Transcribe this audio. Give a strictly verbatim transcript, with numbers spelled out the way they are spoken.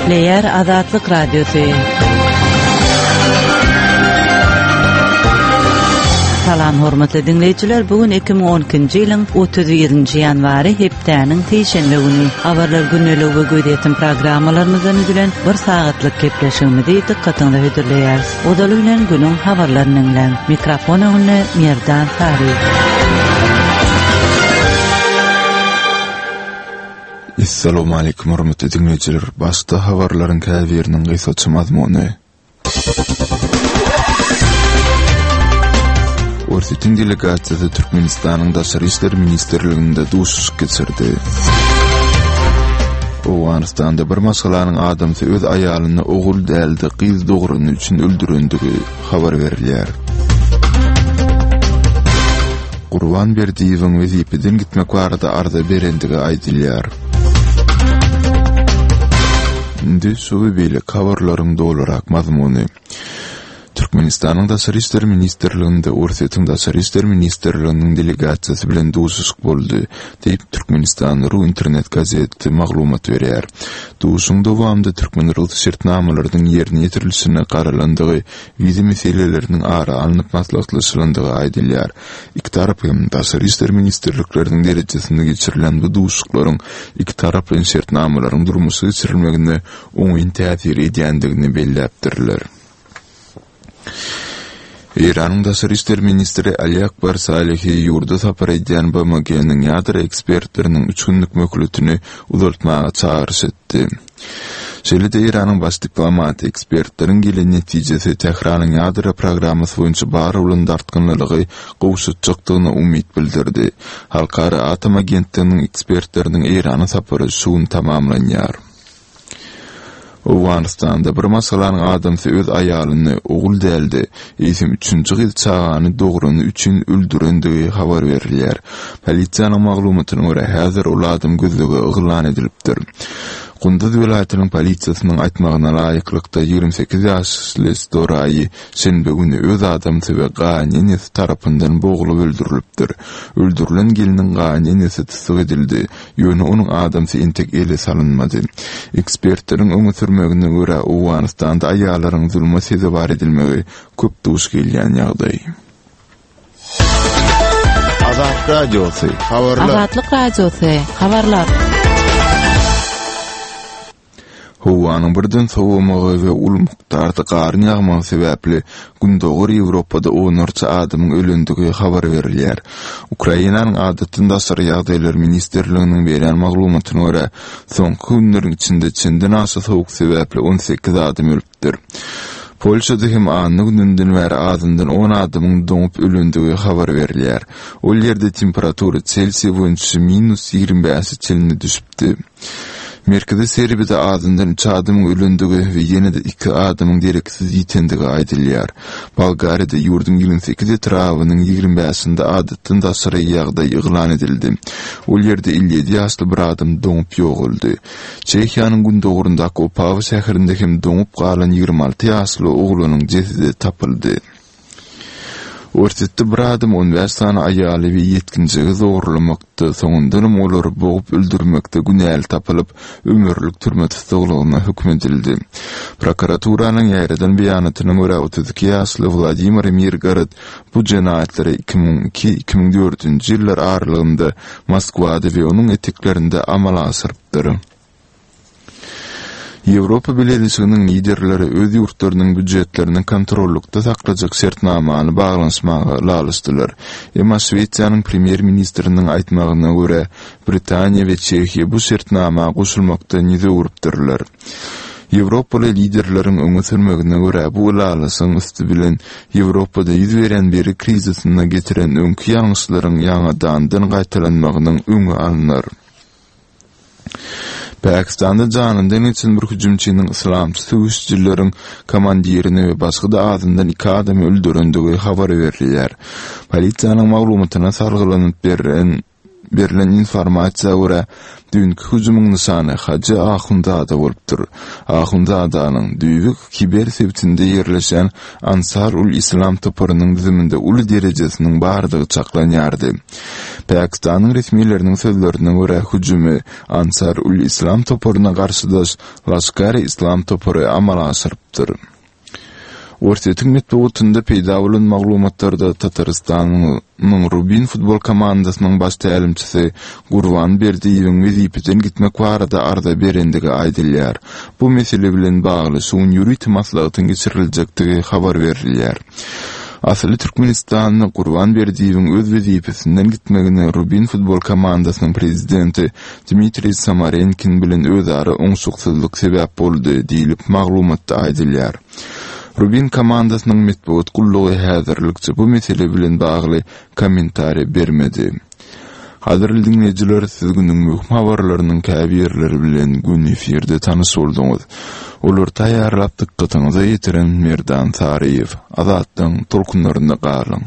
Gepleýär Azatlyk Radiosy. Salam hormatly diňleýjiler, bu gün iki müň on ikinji ýylyň otuz birinji ýanwary hepdäniň sişenbe güni. Habarlar gündeligi we gözýetim programmalarymyzdan düzülen bir sagatlyk gepleşigimizi dykgatyňyza hödürleýäris. Ozaly bilen günüň habarlaryny diňläň. Mikrofon öňünde Merdan Sary. Assalamu alaykum hormatly dinleýjiler. Başda habarlaryň käbiriniň gysgaça mazmuny. Orsýetiň delegasiýasy Türkmenistanyň Daşary işler ministrliginde duşuşyk geçirdi. Owganystanda bir maşgalanyň adamsy öz aýalyny ogul däldi, gyz dograny üçin öldürendigi habar berilýär. Gurban Berdiýewiň wezipeden gitmek barada arza berendigi aýdylýar. Indi şu we beýleki habarlaryň dolurak mazmuny. Türkmenistanyň Daşary işler ministrliginde Orsýetiň Daşary işler ministrliginiň delegasiýasy bilen duşuşyk boldy, diýip Türkmenistan Ru internet gazeti maglumat berýär. Duşuşygyň dowamynda türkmen-rus şertnamalarynyň ýerine ýetirilişine garalandygy, wiza meseleleriniň ara alnyp maslahatlaşylandygy aýdylýar. Iki tarap hem Daşary işler ministrlikleriniň derejesinde geçirilen bu duşuşyklaryň iki taraplaýyn şertnamalaryň durmuşa geçirilmegine oňyn täsir edýändigini belläpdirler. Eýranyň Daşary işler ministri Ali Akbar Salehi ýurda sapar edýän B M G-niň ýadro ekspertleriniň üç günlük möhletini uzaltmaga çagyryş etdi. Şeýle-de Eýranyň baş diplomaty ekspertleriň gelen netijesi Tähranyň ýadro programmasy boýunça bar bolan dartgynlylygy gowşatjakdygyna umyt bildirdi. Halkara atom agentliginiň ekspertleriniň Eýrana sapary şu gün tamamlanýar. Owganystanda bir maşgalanyň adamsy öz aýalyny ogul däldi, eýsem üçünji gyz çagany dograny üçin öldürendigi habar berilýär. Polisiýanyň maglumatyna görä häzir ol adam gözlege yglan edilipdir. Gunduz welaýatynyň polisiýasynyň aýtmagyna laýyklykda ýigrimi sekiz ýaşly Storaýy şenbe güni öz adamsy we gaýynenesi tarapyndan boglup öldürilipdir. Öldürilen geliniň gaýynenesi tussag edildi, ýöne onuň adamsy entek ele salynmady. Ekspertleriň öňe sürmegine görä Owganystanda aýallaryň zulma sezewar edilmegi köp duş gelýän ýagdaý. Azatlyk Radiosy, habarlar. Azatlyk Radiosy, habarlar. Howanyň birden sowamagy we uly mukdarda garyň ýagmagy sebäpli Gündogar Ýewropada onlarça adamyň ölendigi habar berilýär. Ukrainanyň adatdan daşary ýagdaýlar ministrliginiň berýän maglumatyna görä, soňky günleriň içinde çenden aşa sowuk sebäpli on sekiz adam ölüpdir. Polşada hem anna gününden bäri azyndan on adamyň doňup ölendigi habar berilýär. Ol ýerde temperatura Selsiýa boýunça minus ýigrimi bäşe çenli düşüpdi. Merkezi Serbiýada azyndan üç adamyň ölendigi we ýene-de iki adamyň dereksiz ýitendigi aýdylýar. Bolgariýada ýurduň ýigrimi sekiz etrabynyň ýigrimi bäşinde adatdan daşary ýagdaý yglan edildi. Ol ýerde elli ýedi ýaşly bir adam doňup ýogaldy. Çehiýanyň gündoguryndaky Opawa şäherinde hem doňup galan ýigrimi alty ýaşly oglanyň jesedi tapyldy. Orsýetde bir adam on bäş sany aýaly we ýetginjegi zorlamakda, soňundanam olary bogup öldürmekde günäli tapylyp, ömürlik türme tussaglygyna höküm edildi. Prokuraturanyň ýaýradan beýanatyna görä otuz iki ýaşly Wladimir Mirgorod bu jenaýatlary iki müň iki, iki müň dördünji ýyllar aralygynda Moskwada we onuň eteklerinde amala aşyrypdyr. Ýewropa Bileleşiginiň liderleri öz ýurtlarynyň býujetlerini kontrollukda saklajak şertnamany baglanyşmaga ylalaşdylar. Emma Şwesiýanyň premýer-ministriniň aýtmagyna görä, Britaniýa we Çehiýa bu şertnama goşulmakdan ýüz öwrüpdirler. Ýewropaly liderleriň öňe sürmegine görä, bu ylalaşygyň üsti bilen Ýewropada ýüz beren beri krizisine getiren öňki ýalňyşlaryň ýaňadandan gaýtalanmagynyň öňi alnar. Pakistanda janyndan geçen bir hüjümçiniň islamçy söweşijileriň komandirini we başga-da azyndan iki adamy öldürendigi habar berilýär. Polisiýanyň maglumatyna salgylanyp beren, berlen informasiýa görä, düýnki hüjümiň nyşany Hajy Ahundzada bolupdyr. Ahundzadanyň düýbi Kiber sebitinde ýerleşen Ansar ul Islam toparynyň düzüminde uly derejesiniň bardygy çaklanýardy. Pakistanyň resmileriniň sözlerine görä hüjümi Ansar ul Islam toparyna garşydaş Laşkar-e-Islam topary amala aşyrypdyr. Orsýetiň metbugatynda peýda bolan maglumatlarda Tatarystanyň Rubin futbol komandasynyň baş tälimçisi Gurban Berdiýewiň wezipeden gitmek barada arza berendigi aýdylýar. Bu mesele bilen bagly şu gün ýörite maslahatyň geçiriljekdigi habar berilýär. Asyly Türkmenistanda Gurban Berdiýewiň öz wezipesinden gitmegine Rubin futbol komandasynyň prezidenti Dmitriý Samarenkin bilen özara oňşuksyzlyk sebäp boldy diýlip maglumatda aýdylýar. Rubin komandasynyň metbugat gullugy häzirlikçe bu mesele bilen bagly kommentariý bermedi. Gadyrly diňleýjiler, siz günüň möhüm habarlarynyň käbirleri bilen gün efirde tanyş bolduňyz. Olary taýýarlap dykgatyňyza ýetiren Merdan Saryýew. Azatlygyň tolkunlarynda galyň.